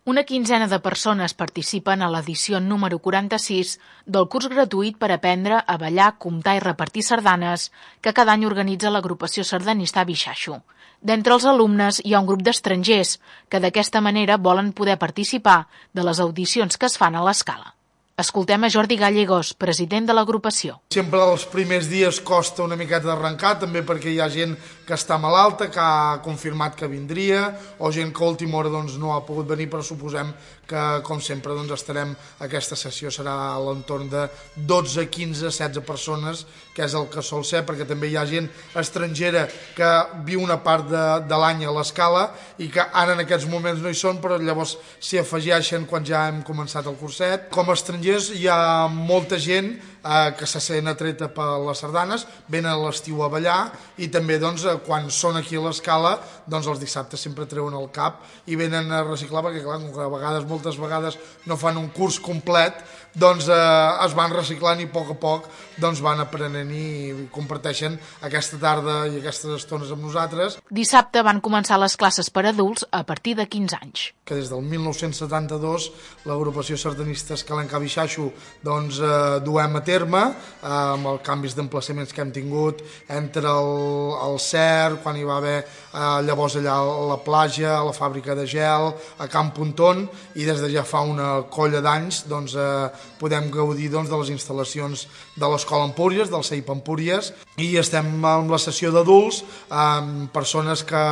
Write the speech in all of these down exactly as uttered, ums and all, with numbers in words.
Una quinzena de persones participen a l'edició número quaranta-sis del curs gratuït per aprendre a ballar, comptar i repartir sardanes que cada any organitza l'agrupació sardanista Bixaxu. D'entre els alumnes hi ha un grup d'estrangers que d'aquesta manera volen poder participar de les audicions que es fan a l'escala. Escoltem a Jordi Gallegos, president de l'agrupació. Sempre els primers dies costa una miqueta d'arrencar, també perquè hi ha gent que està malalta, que ha confirmat que vindria, o gent que a última hora doncs, no ha pogut venir, però suposem que, com sempre, doncs, estarem, aquesta sessió serà a l'entorn de dotze, quinze, setze persones, que és el que sol ser, perquè també hi ha gent estrangera que viu una part de, de l'any a l'escala i que ara en aquests moments no hi són, però llavors s'hi afegeixen quan ja hem començat el curset. Com a estrangers hi ha molta gent eh, que se sent atreta per les sardanes, venen a l'estiu a ballar i també doncs, quan són aquí a l'escala doncs els dissabtes sempre treuen el cap i venen a reciclar perquè clar, a vegades, moltes vegades no fan un curs complet, doncs eh, es van reciclant i a poc a poc doncs, van aprenent i comparteixen aquesta tarda i aquestes estones amb nosaltres. Dissabte van començar les classes per adults a partir de quinze anys. Que des del mil nou-cents setanta-dos l'agrupació sardanista Escalenca Bixaxu doncs, eh, duem a terme eh, amb els canvis d'emplaçaments que hem tingut entre el, el C E R, quan hi va haver eh, llavors allà a la platja, a la fàbrica de gel, a Camp Pontón, i des de ja fa una colla d'anys doncs, eh, podem gaudir doncs, de les instal·lacions de l'Escola Empúries, del C E I P Empúries, i estem amb la sessió d'adults amb persones que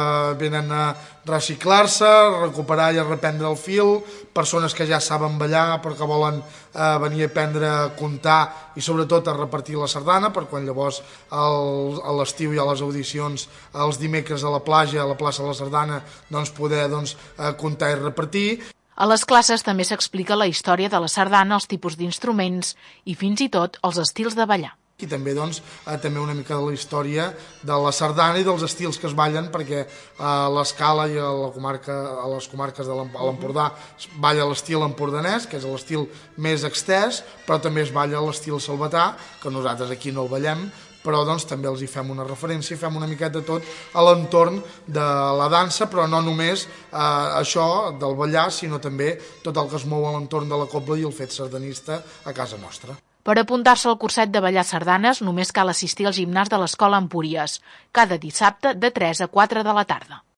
venen a reciclar-se, recuperar i a reprendre el fil, persones que ja saben ballar però que volen eh, venir a aprendre a comptar i sobretot a repartir la sardana, per quan llavors el, a l'estiu hi ha les audicions els dimecres a la platja, a la plaça de la Sardana, doncs poder doncs, eh, comptar i repartir. A les classes també s'explica la història de la sardana, els tipus d'instruments i fins i tot els estils de ballar. I també, doncs, eh, també una mica de la història de la sardana i dels estils que es ballen, perquè a l'escala i a, la comarca, a les comarques de l'Empordà es balla l'estil empordanès, que és l'estil més extès, però també es balla l'estil salvatà, que nosaltres aquí no el ballem, però doncs, també els hi fem una referència, fem una miqueta de tot a l'entorn de la dansa, però no només eh, això del ballar, sinó també tot el que es mou a l'entorn de la cobla i el fet sardanista a casa nostra. Per apuntar-se al curset de ballar sardanes només cal assistir al gimnàs de l'Escola Empúries, cada dissabte de tres a quatre de la tarda.